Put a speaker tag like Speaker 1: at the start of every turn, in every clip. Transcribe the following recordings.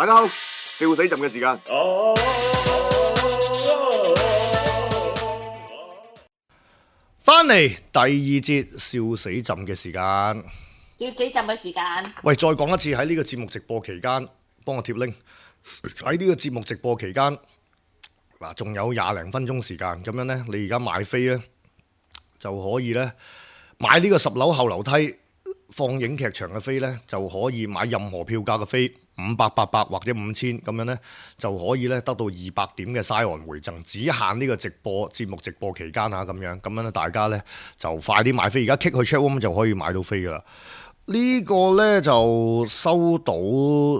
Speaker 1: 大家好，笑死朕嘅時間。翻嚟第二節笑死朕嘅時間。
Speaker 2: 笑死朕嘅時間。
Speaker 1: 喂，再講一次，喺呢個節目直播期間，幫我貼 link。喺呢個節目直播期間，嗱，仲有20零分鐘時間，咁樣呢，你而家買飛呢，就可以呢，買呢個10樓後樓梯放映劇場嘅飛呢，就可以買任何票價嘅飛，500、800或者5000咁樣呢，就可以呢得到200點嘅 Scion 回贈，只限呢個節目直播期間嚇咁樣呢，大家呢，就快啲買飛，而家 kick 去 chatroom 就可以買到飛噶啦。呢個呢，就收到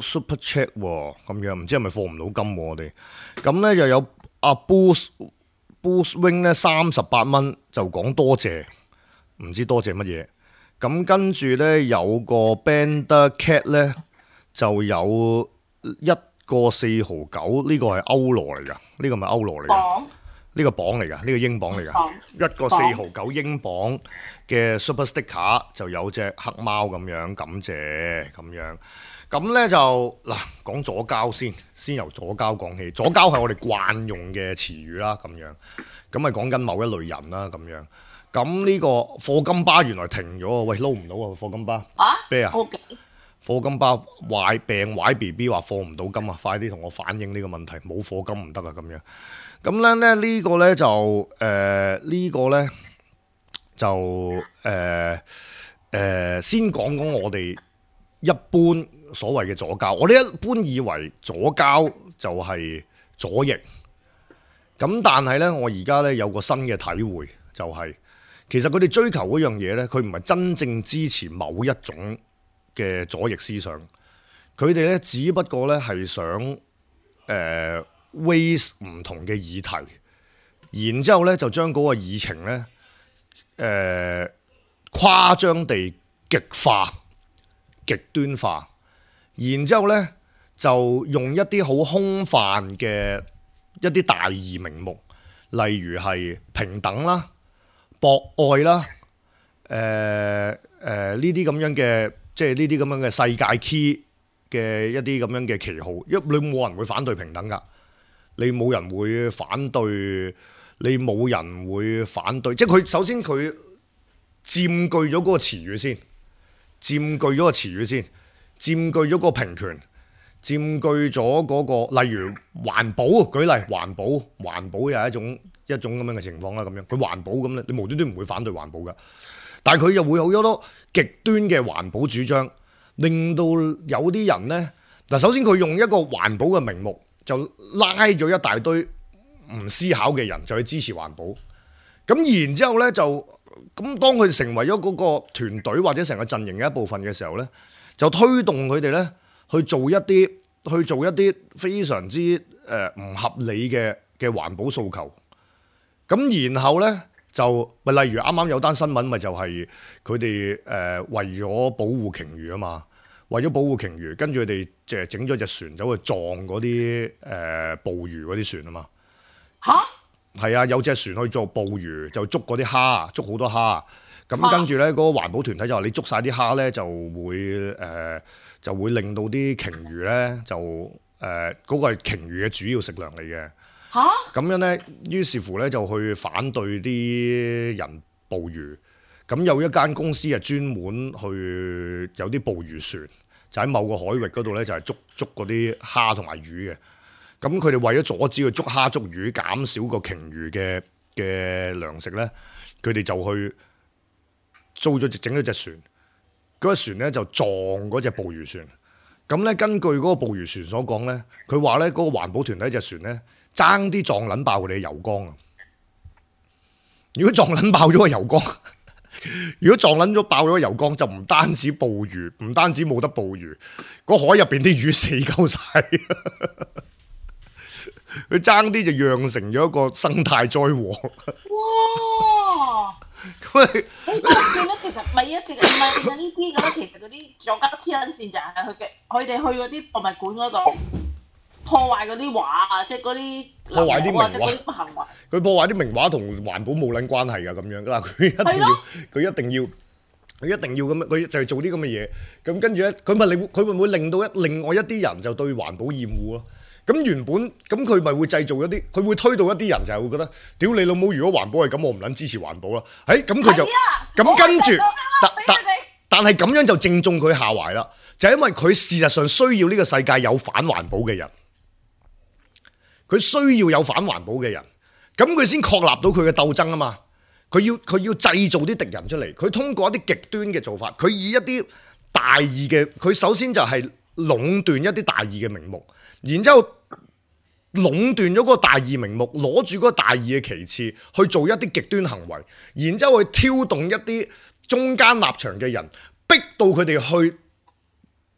Speaker 1: super chat 喎，咁樣唔知係咪放唔到金喎我哋，咁呢，又有阿 Boost Wing 呢38蚊就講多謝，唔知多謝乜嘢。咁跟住呢，有個 Bender Cat 呢，就有1個4毫9，呢個係歐羅嚟㗎，呢個咪歐羅嚟㗎？呢個磅嚟㗎，呢個英鎊嚟㗎，1個4毫9英鎊嘅 Super Sticker 就有隻黑貓咁樣，感謝咁樣。咁呢就嗱講左膠先由左膠講起，左膠係我哋慣用嘅詞語啦，咁樣咁咪講緊某一類人啦，咁樣。咁呢個課金巴原來停咗喎，喂撈唔到啊課金巴咩啊？課金巴病壞 BB 話放唔到金啊，快啲同我反映呢個問題，冇課金唔得啊咁樣。咁咧呢個咧就先講我哋一般所謂嘅左膠，我哋一般以為左膠就係左翼，咁但係咧我而家咧有個新嘅體會，就係其實佢哋追求嗰樣嘢咧，佢唔係真正支持某一種嘅左翼思想，佢哋咧只不過咧係想raise 唔同嘅議題，然之後咧就將嗰個議程咧誇張地極化、極端化，然之後咧就用一啲好空泛嘅一啲大義名目，例如係平等啦、博愛啦、呢啲咁樣嘅，即係呢啲咁樣嘅世界 key 嘅一啲咁樣嘅旗號，因為你冇人會反對平等㗎。你冇人會反對，即係佢首先佢佔據咗嗰個詞語先，佔據咗個平權，佔據咗嗰個，例如環保，舉例環保又係一種咁樣嘅情況啦，咁樣佢環保咁咧，你無端端唔會反對環保㗎，但係佢又會有好多極端嘅環保主張，令到有啲人呢，嗱，首先佢用一個環保嘅名目，就拉咗一大堆唔思考嘅人就去支持環保，咁然之後呢，咁當佢成為咗嗰個團隊或者成個陣營嘅一部分嘅時候呢，就推動佢哋呢去做一啲非常之唔合理嘅環保訴求，咁然後呢，就咪例如啱啱有單新聞咪就係佢哋為咗保護鯨魚啊嘛。為咗保護鯨魚，跟住佢哋就整咗隻船走去撞嗰啲捕魚嗰啲船啊嘛。嚇？係啊，有隻船去做捕魚，就捉嗰啲蝦，捉好多蝦。咁跟住咧，嗰個環保團體就話：你捉晒啲蝦咧，就會令到啲鯨魚咧嗰個係鯨魚嘅主要食糧嚟嘅。嚇？咁樣咧，於是乎咧就去反對啲人捕魚。咁有一間公司係專門去有啲捕魚船，就喺某個海域嗰度咧，就係捉嗰啲蝦同埋魚嘅。咁佢哋為咗阻止佢捉蝦捉魚，減少個鯨魚嘅糧食咧，佢哋就去整咗隻船。嗰隻船咧就撞嗰隻捕魚船。咁咧根據嗰個捕魚船所講咧，佢話咧嗰個環保團體隻船咧爭啲撞撚爆佢哋嘅油缸啊！如果撞撚爆咗個油缸，如果撞撚咗爆咗個油缸，就唔單止捕魚，唔單止冇得捕魚，個海入邊啲魚死鳩晒，佢爭啲就釀成咗一個生態災禍。
Speaker 2: 哇！
Speaker 1: 咁
Speaker 2: 好搞笑咧，其實唔係啊，其實唔係呢啲咁，其實嗰啲左膠黐撚線就係佢哋去嗰啲博物館嗰度破壞嗰啲畫啊，即係嗰啲
Speaker 1: 破壞啲名畫，
Speaker 2: 即係嗰啲行為。佢
Speaker 1: 破壞啲名畫同環保冇撚關係㗎，咁樣嗱，佢一定要佢一定要咁樣，佢就係做啲咁嘅嘢。咁跟住咧，佢會唔會令到另外一啲人就對環保厭惡咯？咁原本咁佢咪會製造一啲，佢會推到一啲人就係會覺得，屌你老母！如果環保係咁，我唔撚支持環保啦。咁佢就咁跟住，但係咁樣就正中佢下懷啦。就係因為佢事實上需要呢個世界有反環保嘅人，佢需要有反環保嘅人，咁佢先確立到佢嘅鬥爭啊嘛。佢要製造啲敵人出嚟，佢通過一啲極端嘅做法，佢以一啲大義嘅，佢首先就係壟斷一啲大義嘅名目，然之後壟斷咗嗰個大義名目，攞住嗰個大義嘅旗幟去做一啲極端行為，然之後去挑動一啲中間立場嘅人，逼到佢哋去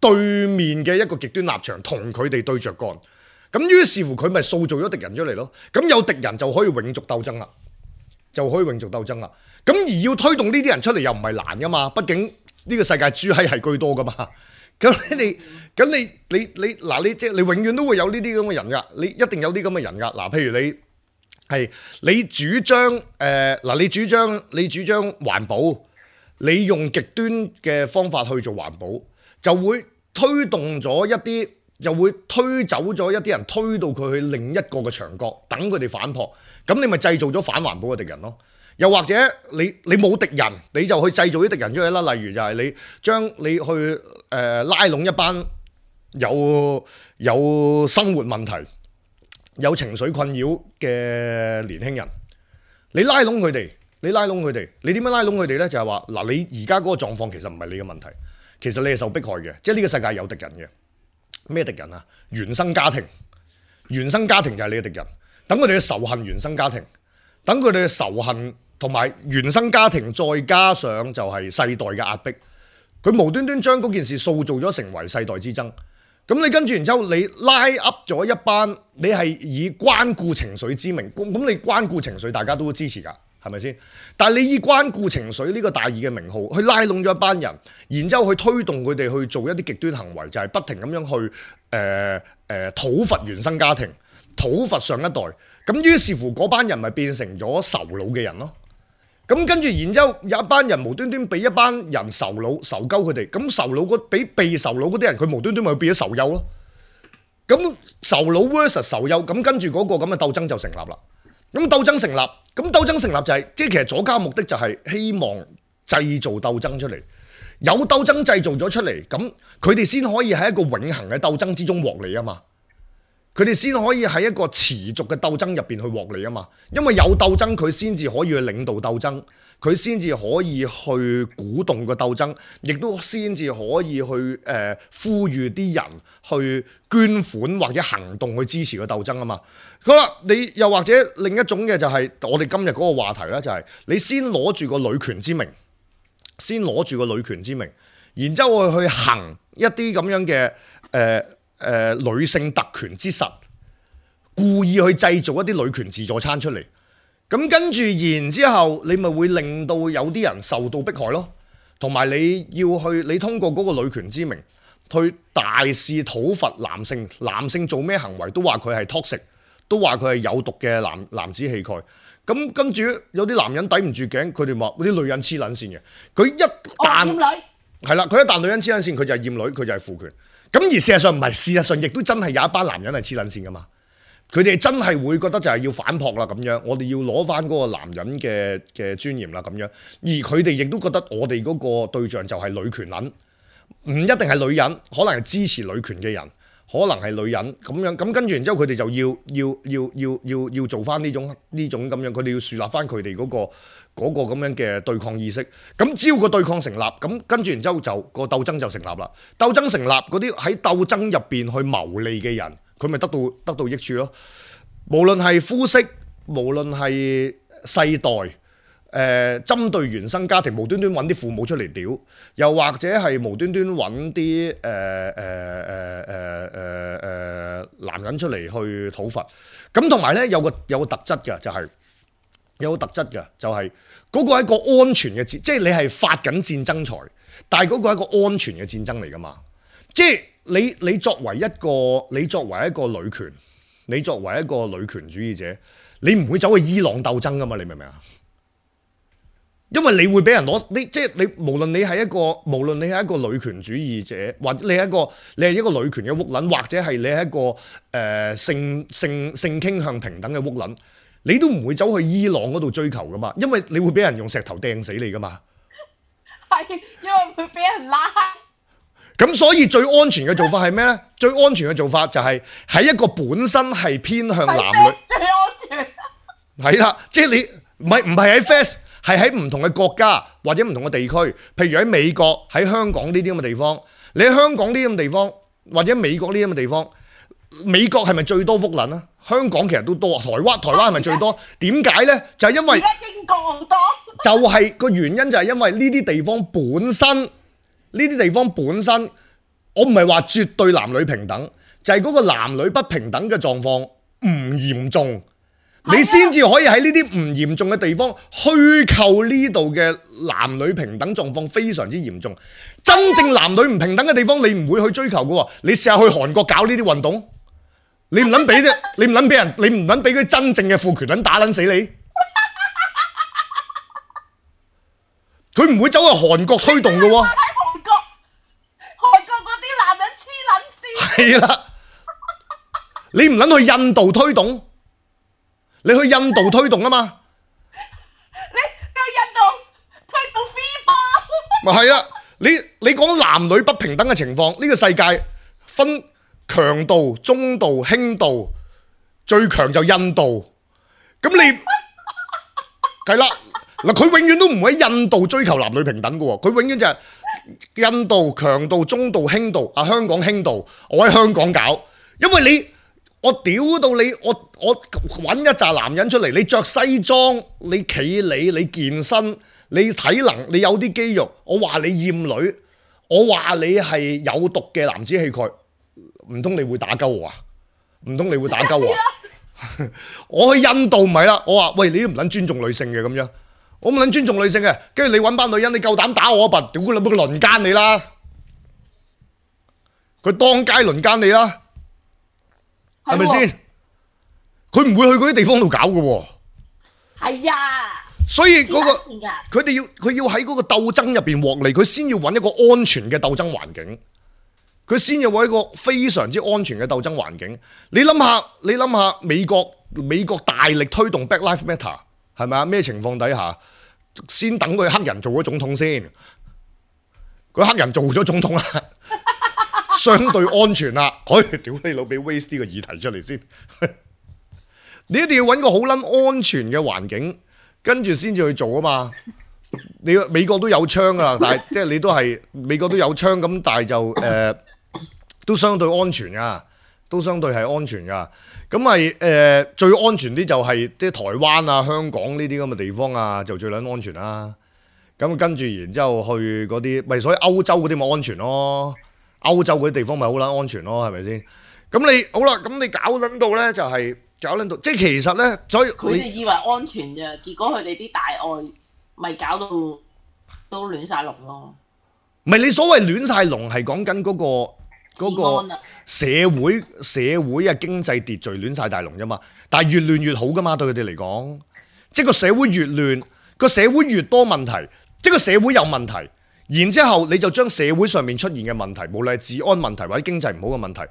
Speaker 1: 對面嘅一個極端立場，同佢哋對着幹。咁於是乎佢咪塑造咗敵人出嚟咯。咁有敵人就可以永續鬥爭啦。咁而要推動呢啲人出嚟又唔係難噶嘛，畢竟呢個世界豬閪係居多噶嘛。咁你即係你永遠都會有呢啲咁嘅人噶，你一定有啲咁嘅人噶。嗱，譬如你主張你主張環保，你用極端嘅方法去做環保，就會推動咗一啲。就會推走咗一啲人，推到佢去另一個嘅牆角，等佢哋反撲。咁你咪製造咗反環保嘅敵人咯。又或者你冇敵人，你就去製造啲敵人出嚟啦。例如就係你去拉攏一班有生活問題、有情緒困擾嘅年輕人，你拉攏佢哋，你點樣拉攏佢哋呢？就係話嗱，你而家嗰個狀況其實唔係你嘅問題，其實你係受迫害嘅，即係呢個世界有敵人嘅。咩敵人啊？原生家庭就係你嘅敵人。等佢哋嘅仇恨原生家庭，等佢哋嘅仇恨同埋原生家庭，再加上就係世代嘅壓迫，佢無端端將嗰件事塑造咗成為世代之爭。咁你跟住然之後，你拉 up 咗一班，你係以關顧情緒之名，咁你關顧情緒，大家都支持㗎。係咪先？但係你以關顧情緒呢個大義嘅名號，去拉攏咗一班人，然之後去推動佢哋去做一啲極端行為，就係不停咁樣去討伐原生家庭、討伐上一代。咁於是乎嗰班人咪變成咗仇老嘅人咯。咁跟住然之後有一班人無端端俾一班人仇鳩佢哋，咁仇老被仇老嗰啲人，佢無端端咪變咗仇幼咯。咁仇老 versus 仇幼，咁跟住嗰個咁嘅鬥爭就成立啦。咁鬥爭成立就係，即係其實左膠目的就係希望製造鬥爭出嚟，有鬥爭製造咗出嚟，咁佢哋先可以喺一個永恆嘅鬥爭之中獲利啊嘛，佢哋先可以喺一個持續嘅鬥爭入邊去獲利啊嘛，因為有鬥爭佢先至可以去領導鬥爭，佢先至可以去鼓動個鬥爭，亦都先至可以去呼籲啲人去捐款或者行動去支持個鬥爭啊嘛。好啦，你又或者另一種嘅就係我哋今日嗰個話題啦，就係你先攞住個女權之名，然之後去行一啲咁樣嘅女性特權之實，故意去製造一啲女權自助餐出嚟，咁跟住然之後你咪會令到有啲人受到迫害咯，同埋你通過嗰個女權之名去大肆討伐男性做咩行為都話佢係 toxic，都話佢係有毒嘅男子氣概。咁跟住有啲男人抵唔住頸，佢哋話嗰啲女人黐撚線嘅，佢一旦係啦，佢一旦女人黐撚線，佢就係厭女，佢就係父權。咁而事實上唔係，事實上亦都真係有一班男人係黐撚線噶嘛，佢哋真係會覺得就係要反撲啦咁樣，我哋要攞翻嗰個男人嘅尊嚴啦咁樣，而佢哋亦都覺得我哋嗰個對象就係女權撚，唔一定係女人，可能係支持女權嘅人。可能係女人咁樣，咁跟住然之後佢哋就要做翻呢種咁樣，佢哋要樹立翻佢哋嗰個咁樣嘅對抗意識。咁只要個對抗成立，咁跟住然之後就個鬥爭就成立啦。鬥爭成立，嗰啲喺鬥爭入邊去牟利嘅人，佢咪得到益處咯。無論係膚色，無論係世代。針對原生家庭無端端揾啲父母出嚟屌，又或者係無端端揾啲男人出嚟去討伐，咁同埋咧有個特質嘅就係嗰個係一個安全嘅戰，即係你係發緊戰爭財，但係嗰個係一個安全嘅戰爭嚟噶嘛，即係你作為一個女權，你作為一個女權主義者，你唔會走去伊朗鬥爭噶嘛，你明唔明啊？因為你會俾人攞你，即係你無論你係一個女權主義者，或者你係一個女權嘅烏撚，或者係你係一個性傾向平等嘅烏撚，你都唔會走去伊朗嗰度追求噶嘛，因為你會俾人用石頭掟死你噶嘛。
Speaker 2: 係因為會俾人拉。
Speaker 1: 咁所以最安全嘅做法係咩咧？最安全嘅做法就係喺一個本身係偏向男女
Speaker 2: 最安全。
Speaker 1: 係啦，即係你唔係喺 Fest。係喺唔同嘅國家或者唔同嘅地區，譬如喺美國、喺香港呢啲咁嘅地方，你喺香港呢啲咁嘅地方，或者美國呢啲咁嘅地方，美國係咪最多福撚啊？香港其實都多，台灣係咪最多？點解呢？就係因為
Speaker 2: 而家英國好多，
Speaker 1: 就係個原因就係因為呢啲地方本身，我唔係話絕對男女平等，就係嗰個男女不平等嘅狀況唔嚴重。你先至可以喺呢啲唔嚴重嘅地方虛構呢度嘅男女平等狀況非常之嚴重。真正男女唔平等嘅地方，你唔會去追求嘅喎。你試下去韓國搞呢啲運動，你唔撚俾啫，你唔撚俾人，你唔撚俾佢真正嘅父權撚打撚死你。佢唔會走去韓國推動嘅喎。
Speaker 2: 韓國嗰啲男人黐撚線。
Speaker 1: 係啦，你唔撚去印度推動。你去印度推動啊嘛，
Speaker 2: 你去印度推動 FIFA。
Speaker 1: 咪係啦，你講男女不平等嘅情況，呢個世界分強度、中度、輕度，最強就印度。咁你係啦，嗱佢永遠都唔會喺印度追求男女平等嘅喎，佢永遠就係印度強度、中度、輕度，啊香港輕度，我喺香港搞，因為你。我屌到你，我揾一紮男人出嚟，你着西裝，你企理，你健身，你體能，你有啲肌肉，我話你厭女，我話你係有毒嘅男子氣概，唔通你會打鳩我啊？唔通你會打鳩我啊？我去印度唔係啦，我話喂，你都唔撚尊重女性嘅咁樣，我唔撚尊重女性嘅，跟住你揾班女人，你夠膽打我一笨，屌佢老母佢輪奸你啦，佢當街輪奸你啦。係咪先？佢唔會去嗰啲地方度搞嘅喎。
Speaker 2: 係啊。
Speaker 1: 所以嗰個佢要喺嗰個鬥爭入邊獲利，佢先要揾一個安全嘅鬥爭環境，佢先要揾一個非常之安全嘅鬥爭環境。你諗下美國大力推動 Black Lives Matter 係咪啊？咩情況底下先等佢黑人做咗總統先？佢黑人做咗總統啦。相對安全啦，屌你老，俾 waste 呢個議題出嚟先。你一定要揾個好撚安全嘅環境，跟住先至去做啊嘛。你美國都有槍噶啦，但係即係你都係美國都有槍咁，但係就都相對安全噶，都相對係安全噶。咁係最安全啲就係啲台灣啊、香港呢啲咁嘅地方啊，就最撚安全啦。咁跟住然之後去嗰啲，咪所以歐洲嗰啲咪安全咯。歐洲嗰啲地方咪好撚安全咯，係咪先？咁你好啦，咁你搞撚到咧就係搞撚到，即係其實咧，所以
Speaker 2: 佢哋以為安全啫，結果佢哋啲大愛咪搞到都亂晒龍咯。
Speaker 1: 唔係你所謂亂晒龍係講緊嗰個社會啊經濟秩序亂晒大龍啫嘛，但係越亂越好噶嘛，對佢哋嚟講，即係個社會越亂，個社會越多問題，即係個社會有問題。然之後你就將社會上面出現嘅問題，無論係治安問題或者經濟唔好嘅問題，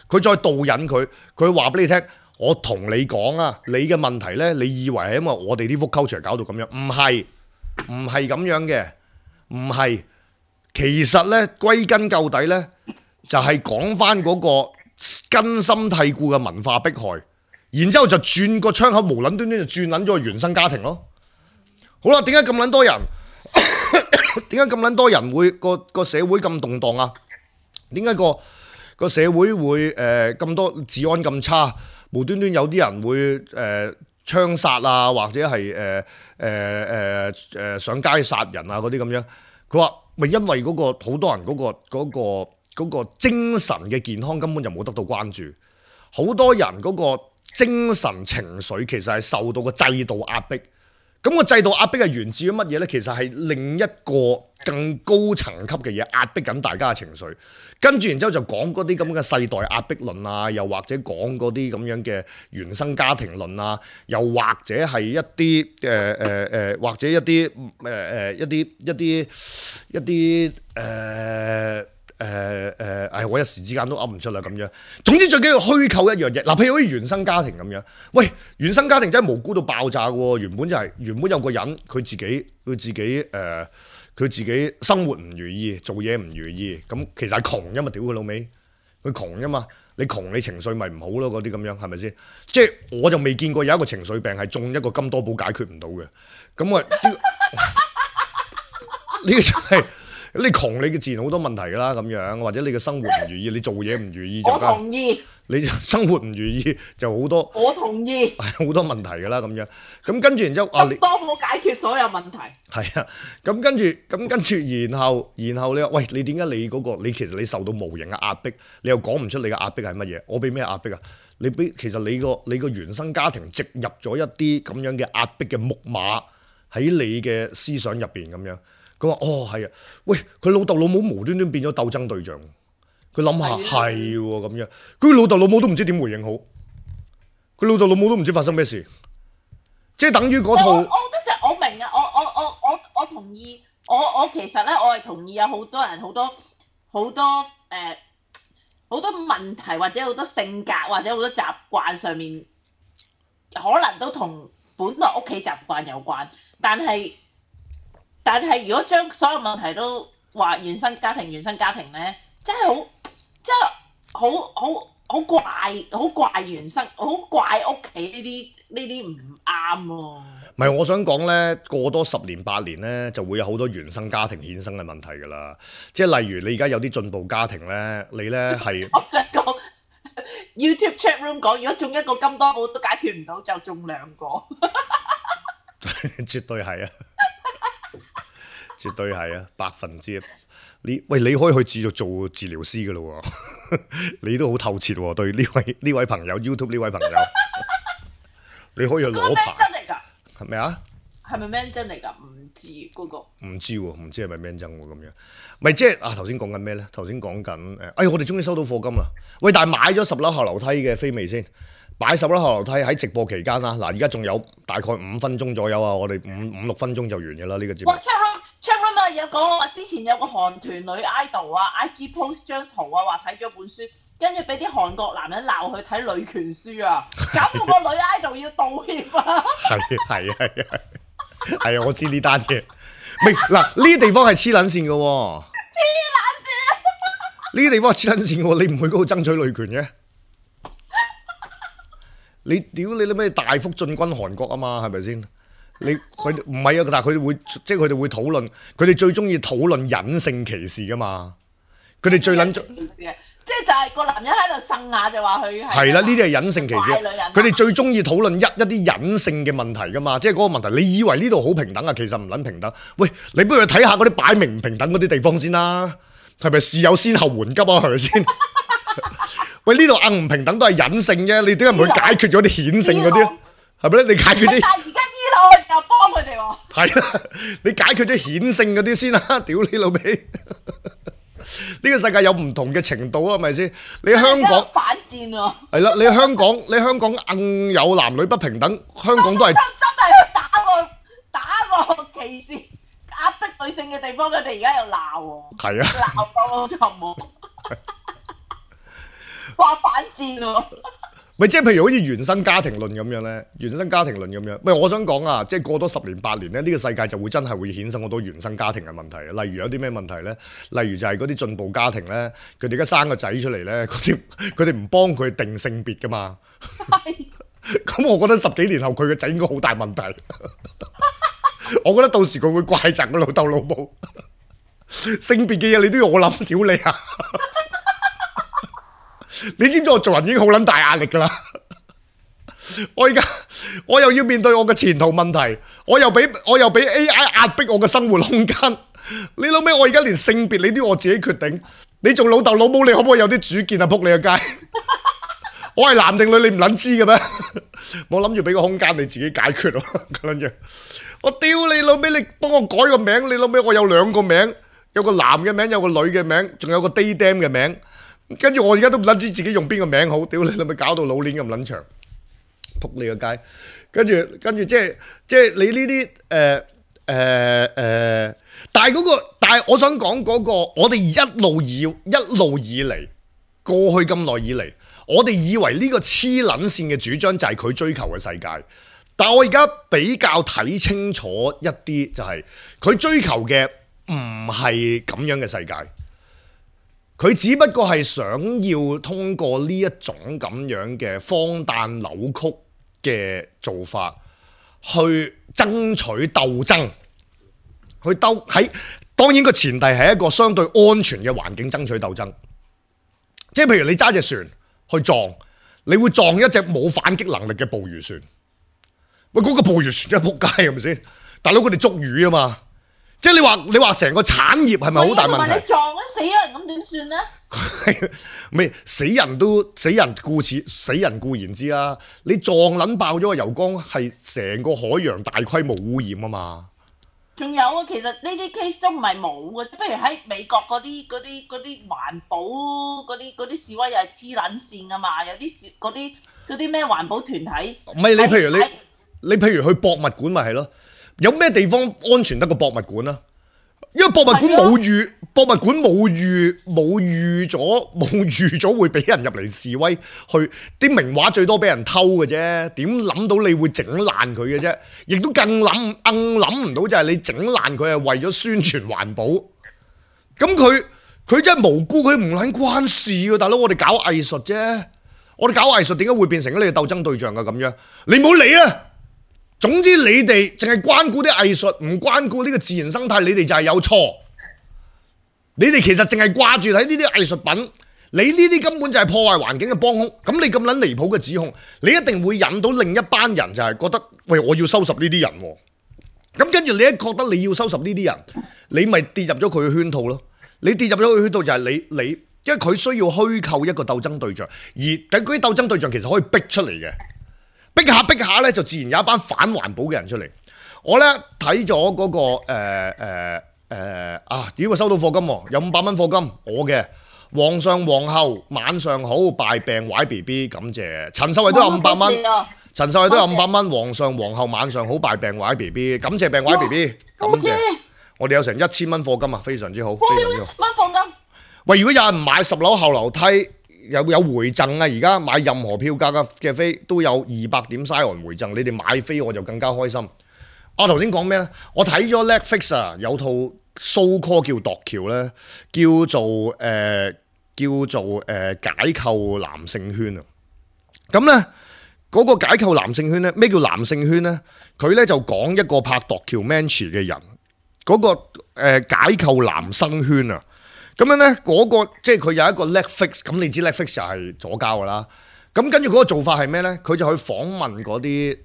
Speaker 1: 佢再導引佢話俾你聽，我同你講啊，你嘅問題呢，你以為係因為我哋啲 woke culture 搞到咁樣，唔係咁樣嘅，唔係，其實呢，歸根究底呢，就係講翻嗰個根深蒂固嘅文化迫害，然之後就轉個窗口無撚端端就轉撚咗個原生家庭咯。好啦，點解咁撚多人？點解咁撚多人會個社會咁動盪啊？點解個社會會咁多治安咁差？無端端有啲人會槍殺啊，或者係上街殺人啊嗰啲咁樣。佢話咪因為嗰個好多人嗰個精神嘅健康根本就冇得到關注，好多人嗰個精神情緒其實係受到個制度壓迫。咁個制度壓迫係源自於乜嘢呢？其實係另一個更高層級嘅嘢壓迫緊大家嘅情緒，跟住然之後就講嗰啲咁嘅世代壓迫論啊，又或者講嗰啲咁樣嘅原生家庭論啊，又或者係一啲或者一啲我一時之間都噏唔出啦咁樣。總之最緊要虛構一樣嘢，嗱，譬如好似原生家庭咁樣，喂，原生家庭真係無辜到爆炸嘅喎。原本有個人佢自己生活唔如意，做嘢唔如意，咁其實係窮啫嘛，屌佢老味，佢窮啫嘛，你窮你情緒咪唔好咯，嗰啲咁樣係咪先？即係我就未見過有一個情緒病係中一個金多寶解決唔到嘅，咁啊呢個就係。你窮你嘅自然好多問題㗎啦，咁樣或者你嘅生活唔如意，你做嘢唔如意就
Speaker 2: 我同意，
Speaker 1: 你生活唔如意就好多，
Speaker 2: 我同意，
Speaker 1: 好多問題㗎啦，咁樣咁跟住然之後啊，你
Speaker 2: 多冇解決所有問題。
Speaker 1: 係啊，咁跟住，然後你話喂，你點解你嗰個你其實你受到無形嘅壓迫，你又講唔出你嘅壓迫係乜嘢？我俾咩壓迫啊？其實你個原生家庭植入咗一啲咁樣嘅壓迫嘅木馬喺你嘅思想入邊咁樣。佢話：哦，係啊，喂，佢老豆老母無端端變咗鬥爭對象，佢諗下係喎咁樣，佢老豆老母都唔知點回應好，佢老豆老母都唔知發生咩事，即係等於嗰套。
Speaker 2: 我覺得就我明啊，我同意，我其實咧我係同意有好多人好多問題或者好多性格或者好多習慣上面，可能都同本來屋企習慣有關，但係如果將所有問題都話原生家庭咧，真係好怪原生，好怪屋企呢啲唔啱喎。
Speaker 1: 唔係，我想講咧，過多10年8年咧，就會有好多原生家庭衍生嘅問題㗎啦。即係例如你而家有啲進步家庭咧，你咧係
Speaker 2: 我想講 YouTube chat room 講，如果中一個金多寶都解決唔到，就中2個。
Speaker 1: 絕對係啊！絕對係啊，100%。你可以去做治療師噶咯喎，你都好透徹喎。對呢位朋友 YouTube 呢位朋友，你可以去攞牌。
Speaker 2: 真嚟㗎？
Speaker 1: 係咪啊？
Speaker 2: 係咪 man 真嚟㗎？唔知嗰個。唔
Speaker 1: 知喎，唔知係咪 man 真喎咁樣。咪即係頭先講緊咩咧？頭先講緊我哋終於收到課金啦！喂，但係買咗10樓後樓梯嘅飛未先？擺10樓後樓梯喺直播期間啦，嗱，而家仲有大概5分鐘左右啊，我哋5-6分鐘就完嘅啦呢個節目。
Speaker 2: 哇！昌啊有講話之前有個韓團女 idol 啊 ，IG post 張圖啊，話睇咗本書，跟住俾啲韓國男人鬧佢睇女權書啊，搞到個女 idol 要道歉啊！
Speaker 1: 係啊，我知呢單嘢。明嗱呢啲地方係黐撚線嘅喎，
Speaker 2: 黐撚線！
Speaker 1: 呢啲地方係黐撚線嘅喎，你唔去嗰度爭取女權嘅？你屌你咩大幅進軍韓國啊嘛，係咪先？佢唔係啊，但係佢哋會討論，佢哋最中意討論隱性歧視噶嘛。佢哋最撚中，
Speaker 2: 即係就係個男人喺度呻下就話佢
Speaker 1: 係啦，呢啲係隱性歧視。佢哋最中意討論一啲隱性嘅問題噶嘛，即係嗰個問題。你以為呢度好平等啊？其實唔撚平等。喂，你不如去睇下嗰啲擺明唔平等嗰啲地方先啦，係咪事有先後緩急啊？係咪先？喂，呢度硬唔平等都係隱性啫，你點解唔去解決咗啲顯性嗰啲？係咪咧？你解決啲，
Speaker 2: 但係而家醫佬又幫佢哋喎。
Speaker 1: 係啦，你解決咗顯性嗰啲先啦，屌你老味！呢個世界有唔同嘅程度啊，係咪先？你香港
Speaker 2: 反戰喎。係
Speaker 1: 啦，你香港硬有男女不平等，香港都係
Speaker 2: 真係去打個歧視壓迫女性嘅地方，佢哋而家又鬧喎。
Speaker 1: 係啊，
Speaker 2: 鬧到咁喎。話反戰喎，
Speaker 1: 咪即係譬如好似原生家庭論咁樣咧，原生家庭論咁樣。咪我想講啊，即係過多10年8年咧，呢個世界就會真係會衍生好多原生家庭嘅問題。例如有啲咩問題咧？例如就係嗰啲進步家庭咧，佢哋而家生個仔出嚟咧，佢哋唔幫佢定性別噶嘛。咁我覺得10幾年後佢個仔應該好大問題。我覺得到時佢會怪責個老豆老母。性別嘅嘢你都要我諗，屌你啊！你知唔知我做人已經好撚大壓力㗎啦？我又要面對我嘅前途問題，我又俾 AI 壓迫我嘅生活空間。你老味，我而家連性別你都要我自己決定。你做老豆老母，你可唔可以有啲主見啊？仆你個街！我係男定女，你唔撚知嘅咩？我諗住俾個空間你自己解決咯。咁樣，我屌你老味，你幫我改個名，你老味我有2個名，有個男嘅名，有個女嘅名，仲有個 day dam 嘅名。跟住我而家都唔撚知自己用邊個名好，屌你老味搞到老鏈咁撚長，仆你個街。跟住即係你呢啲但係我想講嗰個，我哋一路以嚟過去咁耐以嚟，我哋以為呢個黐撚線嘅主張就係佢追求嘅世界，但我而家比較睇清楚一啲，就係佢追求嘅唔係咁樣嘅世界，佢只不過係想要通過呢一種咁樣嘅荒誕扭曲嘅做法去爭取鬥爭，去喺當然個前提係一個相對安全嘅環境爭取鬥爭，即係譬如你揸隻船去撞，你會撞一隻冇反擊能力嘅捕魚船，喂嗰個捕魚船真係仆街係咪先？大佬佢哋捉魚啊嘛，即係你話成個產業係咪好大問題？同埋
Speaker 2: 你撞咗死咗人咁點算咧？
Speaker 1: 咪死人固然知啦，你撞撚爆咗個油缸係成個海洋大規模污染啊嘛。
Speaker 2: 仲有啊，其實呢啲 case 都唔係冇嘅，不如喺美國嗰啲環保嗰啲示威又係黐撚線噶嘛，有啲嗰啲咩環保團體。唔係
Speaker 1: 你譬如去博物館咪係咯，有咩地方安全得過博物館啊？因為博物館冇預咗會俾人入嚟示威，去啲名畫最多俾人偷嘅啫，點諗到你會整爛佢嘅啫？亦都更諗唔到就係你整爛佢係為咗宣傳環保，咁佢真係無辜，佢唔撚關事嘅，大佬，我哋搞藝術啫，我哋搞藝術點解會變成你嘅鬥爭對象嘅咁樣？你唔好理啊！總之你哋淨係關顧啲藝術，唔關顧呢個自然生態，你哋就係有錯。你哋其實淨係掛住睇呢啲藝術品，你呢啲根本就係破壞環境嘅幫兇。咁你咁撚離譜嘅指控，你一定會引到另一班人就係覺得，喂，我要收拾呢啲人喎。咁跟住你一覺得你要收拾呢啲人，你咪跌入咗佢嘅圈套咯。你跌入咗佢嘅圈套就係你，因為佢需要虛構一個鬥爭對象，而嗰啲鬥爭對象其實可以逼出嚟嘅。逼下咧，就自然有一班反環保嘅人出嚟。我咧睇咗嗰個如果收到課金喎，有500蚊課金，我嘅皇上皇后晚上好，敗病壞 BB， 感謝。陳秀慧都有500蚊，陳秀慧都有500蚊。皇上皇后晚上好，敗病壞 BB， 感謝病壞 BB， 感謝。我哋有成1000蚊課金啊，非常之好，非常之好。
Speaker 2: 蚊課金。喂，
Speaker 1: 如果有人買10樓後樓梯。有回贈啊！而家買任何票價嘅飛都有200點 Sion 回贈，你哋買飛我就更加開心。我頭先講咩咧？我睇咗 Netflix 啊，有套 show call 叫度橋咧，叫做解構男性圈啊。咁咧嗰個解構男性圈咧，咩叫男性圈咧？佢咧就講一個拍度橋 Manchi 嘅人，嗰個解構男生圈啊。咁樣咧，嗰個即係佢有一個 Netflix，咁你知 Netflix 就係左膠噶啦。咁跟住嗰個做法係咩咧？佢就去訪問嗰啲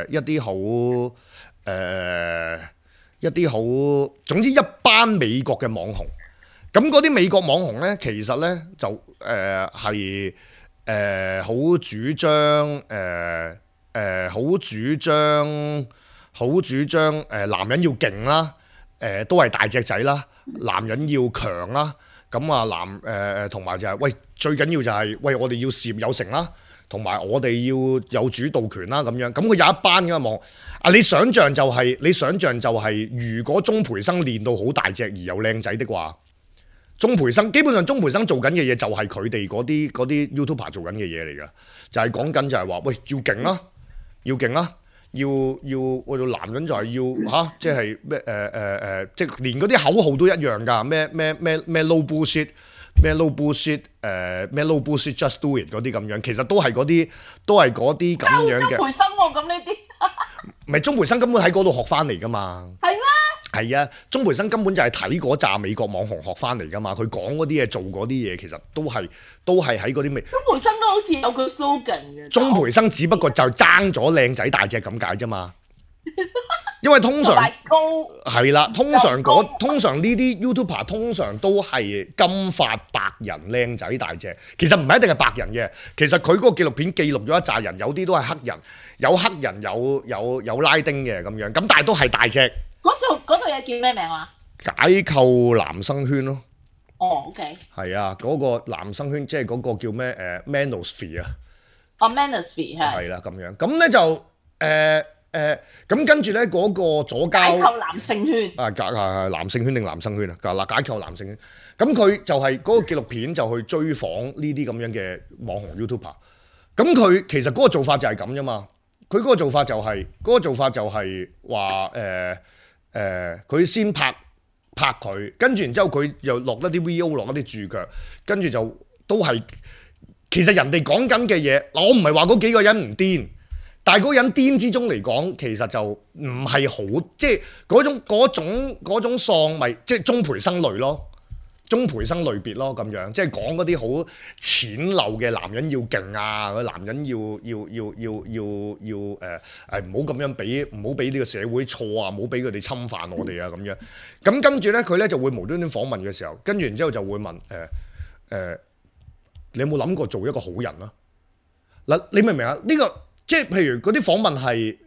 Speaker 1: 一啲好，總之一班美國嘅網紅。咁嗰啲美國網紅咧，其實咧就係好主張男人要勁啦。都係大隻仔啦，男人要強啦，咁啊同埋就係喂，最緊要就係喂，我哋要事業有成啦，同埋我哋要有主導權啦咁樣。咁佢有一班嘅網啊，你想象就係如果鍾培生練到好大隻而又靚仔的話，鍾培生基本上做緊嘅嘢就係佢哋嗰啲 YouTuber 做緊嘅嘢嚟㗎，就係講緊就係話喂，要勁啦，要勁啦。我哋男人就係要即係咩即係連嗰啲口號都一樣㗎，咩 no bullshit， 咩 no bullshit， 咩 no bullshit just do it 嗰啲咁樣，其實都係嗰啲咁樣嘅。鍾培生喎，咁呢啲唔係鍾培生根本喺嗰度學翻嚟㗎嘛？係咩？係啊，鍾培生根本就係睇嗰紮美國網紅學翻嚟㗎嘛，佢講嗰啲嘢做嗰啲嘢，其實都係喺嗰啲美。鍾培生都好似有個 slogan 嘅。鍾培生只不過就爭咗靚仔大隻咁解啫嘛，因為通常
Speaker 2: 高
Speaker 1: 係啦，通常呢啲 YouTuber 通常都係金髮白人靚仔大隻，其實唔係一定係白人嘅，其實佢嗰個紀錄片記錄咗一紮人，有啲都係黑人，有黑人有拉丁嘅咁樣，咁但係都係大隻。
Speaker 2: 嗰套嘢叫咩名啊？
Speaker 1: 解構男生圈咯。
Speaker 2: 哦，OK。
Speaker 1: 係啊，嗰個男生圈即係嗰個叫咩Manosphere 啊。
Speaker 2: 哦，Manosphere 係。
Speaker 1: 係啦，咁樣咁咧就咁跟住咧嗰個左膠
Speaker 2: 解構男性圈。
Speaker 1: 男性圈定男生圈啊？嗱，解構男性圈。咁佢就係嗰個紀錄片就去追訪呢啲咁樣嘅網紅 YouTuber。咁佢其實嗰個做法就係咁啫嘛。佢嗰個做法就係話佢先拍佢，跟住然之後佢又落一啲 VO 落一啲注腳，跟住就都係其實人哋講緊嘅嘢嗱，我唔係話嗰幾個人唔癲，但係嗰個人癲之中嚟講，其實就唔係好即係嗰種喪咪即係鍾培生類咯，鍾培生類別咯咁樣，即係講嗰啲好淺陋嘅男人要勁啊，男人要唔好咁樣俾唔好俾呢個社會錯啊，唔好俾佢哋侵犯我哋啊咁樣。咁跟住咧，佢咧就會無端端訪問嘅時候，跟住然之後就會問你有冇諗過做一個好人啊？嗱，你明唔明啊？呢個即係譬如嗰啲訪問係，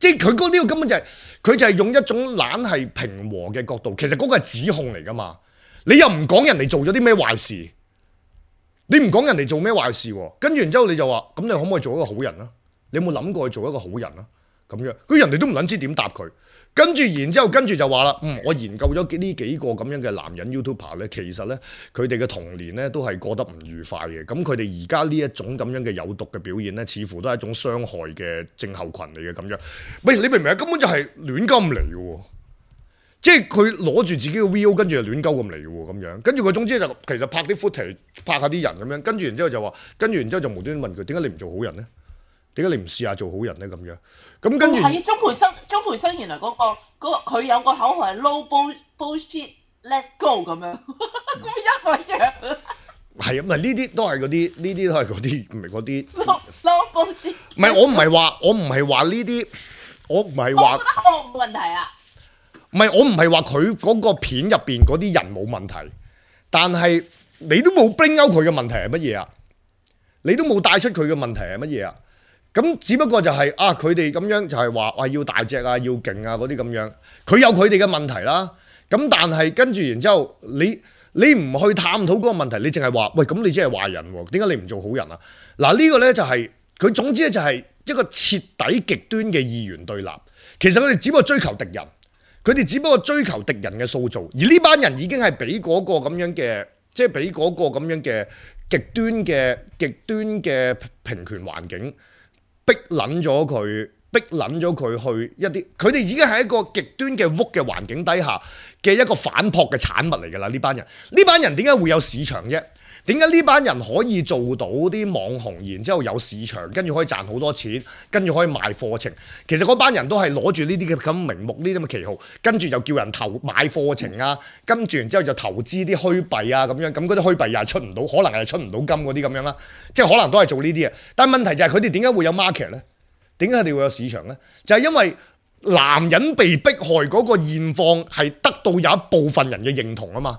Speaker 1: 即係佢呢個根本就係佢就係用一種懶係平和嘅角度，其實嗰個係指控嚟噶嘛。你又唔講人哋做咗啲咩壞事，你唔講人哋做咩壞事喎？跟住然之後你就話，咁你可唔可以做一個好人啊？你有冇諗過去做一個好人啊？咁樣，佢人哋都唔撚知點答佢。跟住然之後就話啦，我研究咗呢幾個咁樣嘅男人 YouTuber 咧，其實咧佢哋嘅童年咧都係過得唔愉快嘅。咁佢哋而家呢一種咁樣嘅有毒嘅表現咧，似乎都係一種傷害嘅症候群嚟嘅咁樣。喂，你明唔明啊？根本就係亂鳩嚟嘅喎。即係佢攞住自己嘅 VO， 跟住就亂鳩咁嚟嘅喎，咁樣跟住佢總之就其實拍啲 footage， 拍下啲人咁樣，跟住然之後就話，跟住然之後就無端端問佢點解你唔做好人咧？點解你唔試下做好人咧？咁樣咁跟住
Speaker 2: 係啊，鍾培生原來嗰個佢有個口號係 low bullshit，let's go 咁樣，一個樣。係
Speaker 1: 啊，唔係呢啲都係嗰啲，唔係嗰啲
Speaker 2: low bullshit。
Speaker 1: 唔係我唔係話呢啲，我唔係話。
Speaker 2: 我覺得我冇問題啊。
Speaker 1: 唔係，我唔係話佢嗰個片入邊嗰啲人冇問題，但係你都冇 bring out 佢嘅問題係乜嘢啊？你都冇帶出佢嘅問題係乜嘢啊？咁只不過就係佢哋咁樣就係話要大隻啊，要勁啊嗰啲咁樣，佢有佢哋嘅問題啦。咁但係跟住然之後，你唔去探討嗰個問題，你淨係話喂，咁你真係壞人喎？點解你唔做好人啊？嗱，呢個呢就係佢總之咧就係一個徹底極端嘅二元對立。其實佢哋只不過追求敵人。佢哋只不過追求敵人嘅塑造，而呢班人已經係俾嗰個咁樣嘅，即係俾嗰個咁樣嘅極端嘅平權環境逼撚咗佢，去一啲，佢哋已經係一個極端嘅屋嘅環境底下嘅一個反撲嘅產物嚟㗎啦。呢班人點解會有市場啫？點解呢班人可以做到啲網紅，然之後有市場，跟住可以賺好多錢，跟住可以賣課程？其實嗰班人都係攞住呢啲嘅咁名目，呢啲咁嘅旗號，跟住就叫人買課程啊，跟住然之後就投資啲虛幣啊咁樣，咁嗰啲虛幣又係出唔到，可能係出唔到金嗰啲咁樣啦，即係可能都係做呢啲啊。但係問題就係佢哋點解會有 market 呢？點解佢哋會有市場呢？就係因為男人被迫害嗰個現況係得到有一部分人嘅認同啊嘛。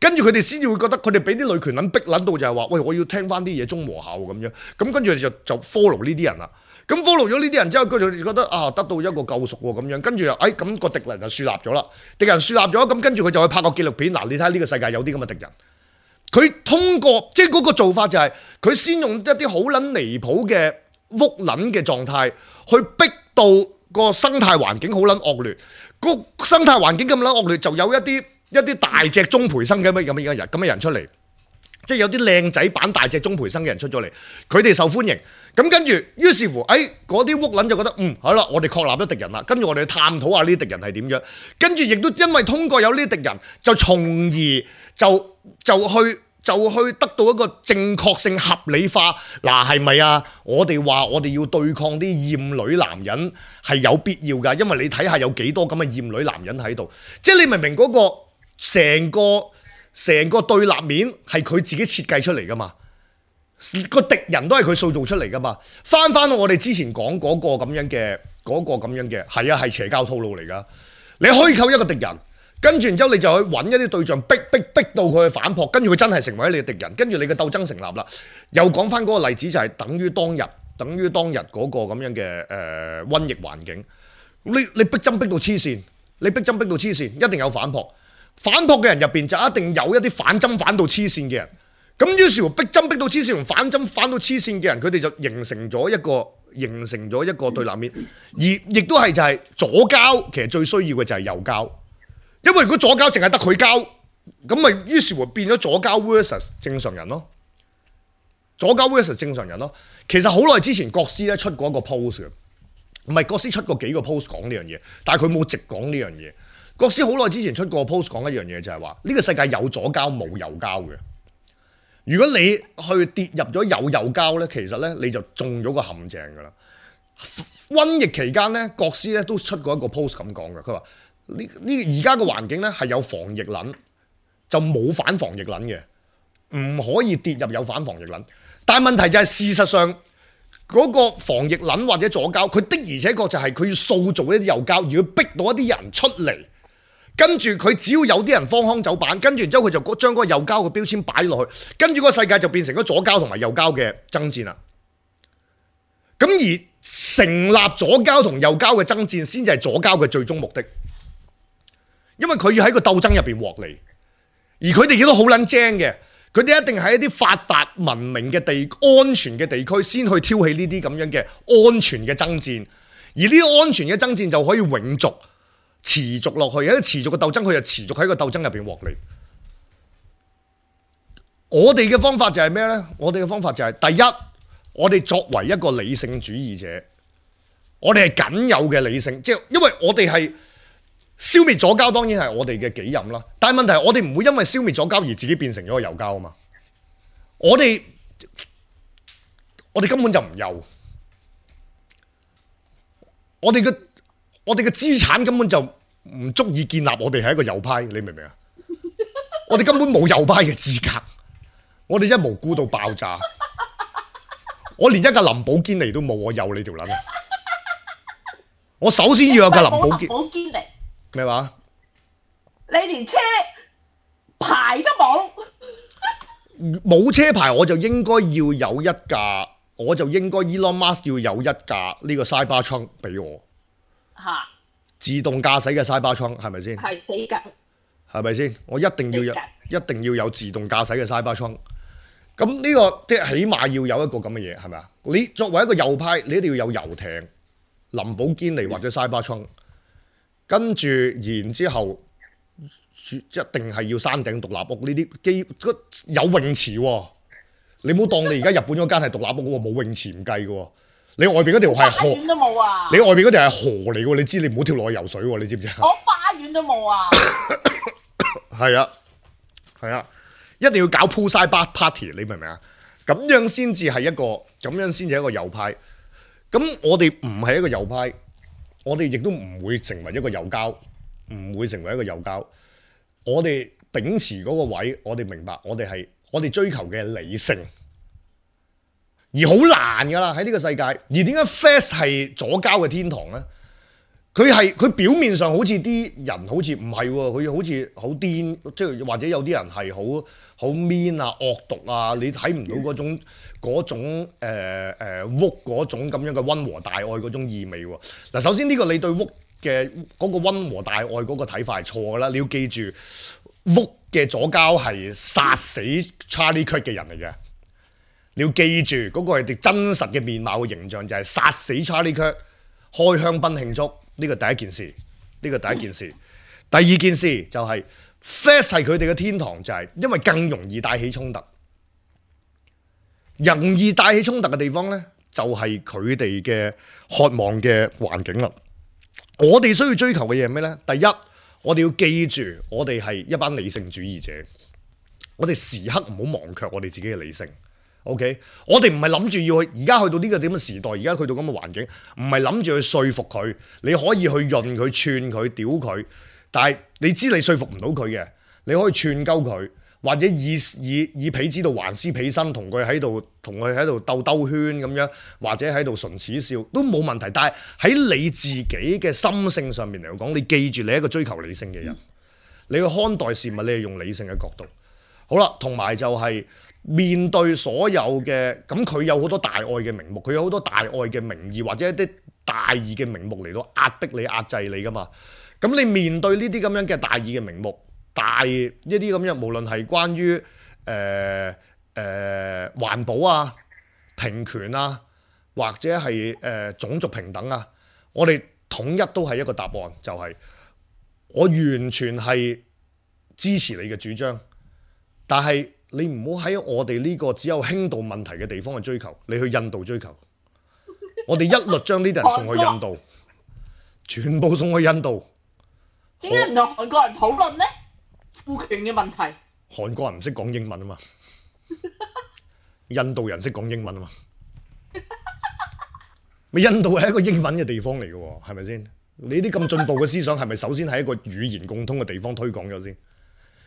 Speaker 1: 跟住佢哋先至會覺得佢哋俾啲女權撚逼撚到就係話，喂，我要聽翻啲嘢中和下咁樣，咁跟住就 follow 呢啲人啦。咁 follow 咗呢啲人之後，佢就覺得得到一個救贖喎咁樣，跟住又咁個敵人就樹立咗啦。敵人樹立咗，咁跟住佢就去拍個紀錄片。嗱，你睇下呢個世界有啲咁嘅敵人，佢通過即係嗰個做法就係佢先用一啲好撚離譜嘅屋撚嘅狀態去逼到個生態環境好撚惡劣。個生態環境咁撚惡劣，就有一啲大隻鍾培生嘅咁嘅人出嚟，即係有啲靚仔版大隻鍾培生嘅人出咗嚟，佢哋受歡迎。咁跟住，於是乎，嗰啲屋撚就覺得，好啦，我哋確立咗敵人啦。跟住我哋探討下呢啲敵人係點樣。跟住亦都因為通過有呢啲敵人，就從而就去得到一個正確性合理化。嗱，係咪啊？我哋話我哋要對抗啲厭女男人係有必要㗎，因為你睇下有幾多咁嘅厭女男人喺度。即係你明唔明嗰個成個對立面係佢自己設計出嚟㗎嘛？個敵人都係佢塑造出嚟噶嘛。翻我哋之前講嗰個咁樣嘅係啊，係邪教套路嚟噶。你虛構一個敵人，跟住然之後你就去揾一啲對象逼到佢去反撲，跟住佢真係成為你嘅敵人，跟住你嘅鬥爭成立啦。又講翻嗰個例子就係等於當日嗰個咁樣嘅瘟疫環境。你逼針逼到黐線，一定有反撲。反撲嘅人入邊就一定有一啲反針反到黐線嘅人。咁於是乎逼針逼到黐線同反針反到黐線嘅人，佢哋就形成咗一個對立面，而亦都係就係左膠其實最需要嘅就係右膠，因為如果左膠淨係得佢膠，咁咪於是乎變咗左膠 versus 正常人咯。其實好耐之前國師咧出過一個 post 嘅，唔係國師出過幾個 post 講呢樣嘢，但係佢冇直講呢樣嘢。國師好耐之前出過 post 講一樣嘢，就係話呢個世界有左膠冇右膠嘅。如果你去跌入咗有右膠咧，其實咧你就中咗個陷阱噶啦。瘟疫期間咧，國師咧都出過一個 post 咁講嘅，佢話呢而家個環境咧係有防疫撚，就冇反防疫撚嘅，唔可以跌入有反防疫撚。但係問題就係事實上嗰個防疫撚或者左膠，佢的而且確就係佢要塑造一啲右膠，而要逼到一啲人出嚟。跟住佢只要有啲人荒腔走板，跟住然之後佢就將嗰個右膠嘅標籤擺落去，跟住個世界就變成咗左膠同埋右膠嘅爭戰啦。咁而成立左膠同右膠嘅爭戰，先至係左膠嘅最終目的，因為佢要喺個鬥爭入邊獲利，而佢哋亦都好撚精嘅，佢哋一定喺一啲發達文明嘅安全嘅地區先去挑起呢啲咁樣嘅安全嘅爭戰，而呢啲安全嘅爭戰就可以永續持續落去，喺持續嘅鬥爭，佢就持續喺個鬥爭入邊獲利。我哋嘅方法就係咩呢？我哋嘅方法就係第一，我哋作為一個理性主義者，我哋係僅有嘅理性，即係因為我哋係消滅左膠，當然係我哋嘅己任啦。但係問題係我哋唔會因為消滅左膠而自己變成咗個右膠啊嘛。我哋根本就唔右，我哋嘅資產根本就唔足以建立我哋係一個右派，你明唔明啊？我哋根本冇右派嘅資格，我哋真係無辜到爆炸。我連一架林寶堅尼都冇，我右你條撚啊！我首先要有架林寶堅尼咩話？
Speaker 2: 你連車牌都冇，
Speaker 1: 冇車牌我就應該要有一架，我就應該 Elon Musk 要有一架呢個 Cybertruck 俾我。嚇！自動駕駛嘅 Cybertruck係咪先？係死梗，係咪先？我一定要有自動駕駛嘅 Cybertruck。咁呢個即係起碼要有一個咁嘅嘢，係咪啊？你作為一個右派，你一定要有遊艇、林寶堅尼或者 Cybertruck，跟住然之後一定係要山頂獨立屋呢啲有泳池喎。你唔好當你而家日本嗰間係獨立屋喎，冇泳池唔計嘅喎。你外邊嗰條係河，花園都冇啊！你外邊嗰條係河嚟喎，你知你唔好跳落去游水喎，你知唔知啊？我花園都冇啊！係啊，係啊，一定要搞 poolside party，你明唔明啊？咁樣先至係一個右派。咁我哋唔係一個右派，我哋亦都唔會成為一個右膠，唔會成為一個右膠。我哋秉持嗰個位，我哋明白，我哋追求嘅理性。而好難噶啦喺呢個世界，而點解 Fast 係左膠嘅天堂呢？佢表面上好似啲人好似唔係喎，佢好似好癲，即係或者有啲人係好 mean 啊、惡毒啊，你睇唔到嗰種屋嗰種咁樣嘅溫和大愛嗰種意味喎。嗱，首先呢個你對屋嘅嗰個溫和大愛嗰個睇法係錯噶啦，你要記住屋嘅左膠係殺死 Charlie Kirk 嘅人嚟嘅。你要記住嗰個係啲真實嘅面貌嘅形象，就係殺死 Charlie Kirk， 開香檳慶祝，呢個第一件事。第二件事就係 Fast 係佢哋嘅天堂，就係因為更容易帶起衝突。容易帶起衝突嘅地方呢，就係佢哋嘅渴望嘅環境啦。我哋需要追求嘅嘢係咩呢？第一，我哋要記住，我哋係一班理性主義者，我哋時刻唔好忘卻我哋自己嘅理性。OK， 我哋唔係諗住要去，而家去到呢個點嘅時代，而家去到咁嘅環境，唔係諗住去說服佢，你可以去潤佢、串佢、屌佢，但係你知你說服唔到佢嘅，你可以串鳩佢，或者以彼之道還施彼身，同佢喺度兜圈咁樣，或者喺度唇齒笑都冇問題。但係喺你自己嘅心性上面嚟講，你記住你係一個追求理性嘅人，你去看待事物，你係用理性嘅角度。好啦，同埋就係面對所有嘅咁，佢有好多大愛嘅名目，佢有好多大愛嘅名義或者一啲大義嘅名目嚟到壓迫你、壓制你噶嘛。咁你面對呢啲咁樣嘅大義嘅名目，大一啲咁樣，無論係關於環保啊、平權啊，或者係種族平等啊，我哋統一都係一個答案，就係我完全係支持你嘅主張，但係你唔好喺我哋呢個只有輕度問題嘅地方去追求，你去印度追求，我哋一律將呢啲人送去印度，全部送去印度。
Speaker 2: 點解唔同韓國人討論呢？賦權嘅問題。
Speaker 1: 韓國人唔識講英文啊嘛，印度人識講英文啊嘛。咪印度係一個英文嘅地方嚟嘅喎，係咪先？你啲咁進步嘅思想係咪首先喺一個語言共通嘅地方推廣咗先？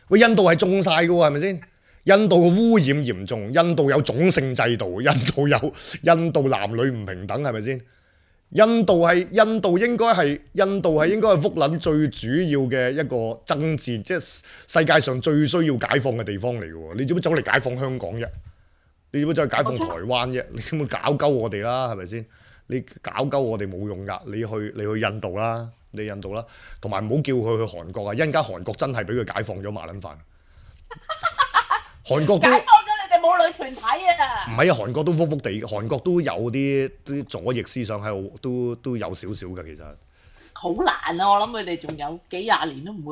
Speaker 1: 喂，印度係種晒嘅喎，係咪先？印度嘅污染嚴重，印度有種姓制度，印度男女唔平等，係咪先？印度應該係福撚最主要嘅一個爭戰，即係世界上最需要解放嘅地方嚟嘅喎。你做乜走嚟解放香港啫？你做乜走去解放台灣啫？你根本搞鳩我哋啦，係咪先？你搞鳩我哋冇用㗎，你去印度啦，同埋唔好叫佢去韓國啊！一陣間韓國真係俾佢解放咗麻撚飯，韓國都
Speaker 2: 解放咗你哋母女團體啊！
Speaker 1: 唔係啊，韓國都福福地，韓國都有啲左翼思想喺度，都有少少嘅其實。
Speaker 2: 好難啊！我諗佢哋仲有幾廿年都唔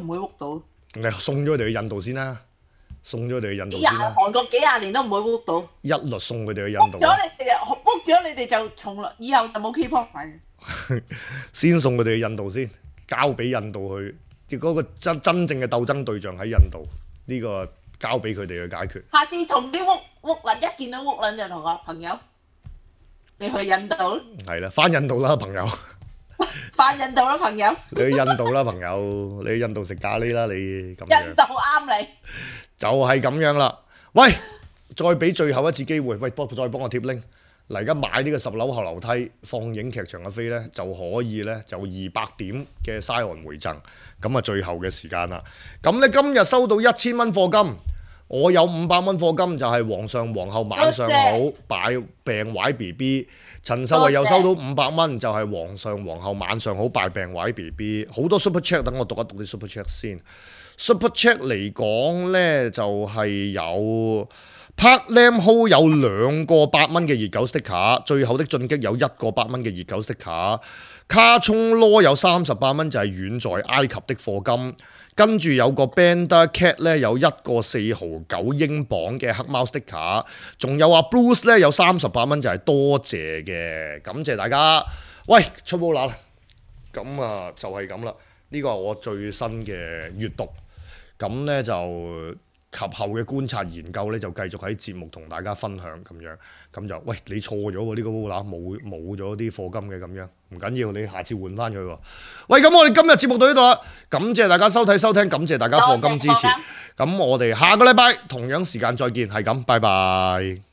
Speaker 2: 會喐到。
Speaker 1: 你送咗佢哋去印度先啦，
Speaker 2: 韓國幾廿年都唔會喐到。
Speaker 1: 一律送佢哋去印度。
Speaker 2: 喐咗你哋就從來以後就冇 K-pop 睇。
Speaker 1: 先送佢哋去印度先，交俾印度去，即嗰個真正嘅鬥爭對象喺印度，呢個交俾佢哋去解決。
Speaker 2: 下次同啲烏撚一見到烏撚就同我朋友，你去印度咯。係
Speaker 1: 啦，翻印度啦，朋友。
Speaker 2: 翻印度啦，朋友。
Speaker 1: 你去印度啦，朋友。你去印度食咖喱啦，你咁樣。
Speaker 2: 印度啱你。就
Speaker 1: 係咁樣啦。喂，再俾最後一次機會，喂，再幫我貼 link。嗱，而家買呢個10樓後樓梯放映劇場嘅飛咧，就可以咧就200點嘅 Scion 回贈，咁啊最後嘅時間啦。咁咧今日收到1000蚊課金，我有500蚊課金，就係皇上皇后晚上好，擺病壞 BB。陳秀慧又收到500蚊，就係皇上皇后晚上好，拜病壞 BB。好多 super chat，等我讀一讀啲 super chat 先。super chat 嚟講咧就係有。Park Lam Ho 有2個8蚊嘅熱狗 sticker， 最後的進擊有1個8蚊嘅熱狗 sticker， 卡聰羅有38蚊就係遠在埃及的課金，跟住有個 Banda Cat 咧有1個4毫9英鎊嘅黑貓 sticker， 仲有Bruce 咧有38蚊就係多謝嘅，感謝大家。喂，出波啦，咁啊就係咁啦，呢個係我最新嘅閱讀，咁咧就。及後嘅觀察研究咧，就繼續喺節目同大家分享咁樣，咁就喂你錯咗喎，呢個烏乸冇咗啲課金嘅咁樣，唔緊要，你下次換翻佢喎。喂，咁我哋今日節目到呢度啦，感謝大家收睇收聽，感謝大家課金支持，咁我哋下個禮拜同樣時間再見，係咁，拜拜。